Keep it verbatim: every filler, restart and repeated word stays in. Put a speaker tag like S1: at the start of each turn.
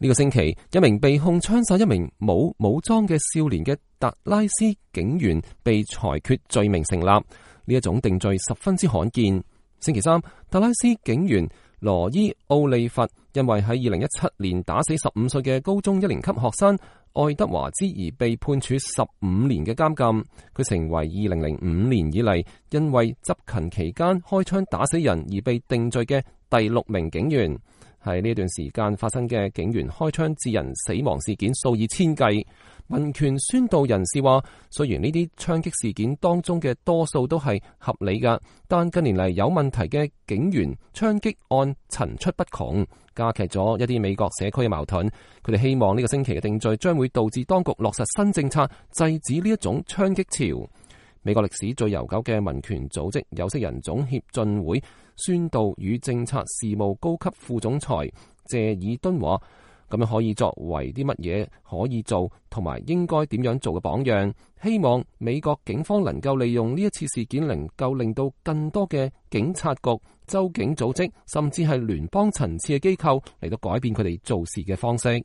S1: 呢個星期，一名被控槍殺一名冇武裝嘅少年嘅達拉斯警員被裁決罪名成立。呢一種定罪十分之罕見。星期三，達拉斯警員羅伊奧利弗因為喺二零一七年打死十五歲嘅高中一年級學生愛德華茲而被判處十五年嘅監禁。佢成為二零零五年以嚟因為執勤期間開槍打死人而被定罪嘅第六名警員。喺呢段時間發生嘅警員開槍致人死亡事件數以千計。民權宣導人士話，雖然呢啲槍擊事件當中嘅多數都係合理㗎，但近年嚟有問題嘅警員槍擊案層出不窮，加劇咗一啲美國社區嘅矛盾。佢哋希望呢個星期嘅定罪將會導致當局落實新政策，制止呢一種槍擊潮。美國歷史最悠久嘅民權組織有色人種協進會宣導與政策事務高級副總裁謝爾敦話，咁樣可以作為啲乜嘢可以做同埋應該點樣做嘅榜樣，希望美國警方能夠利用呢一次事件，能夠令到更多嘅警察局、州警組織甚至係聯邦層次嘅機構嚟到改變佢哋做事嘅方式。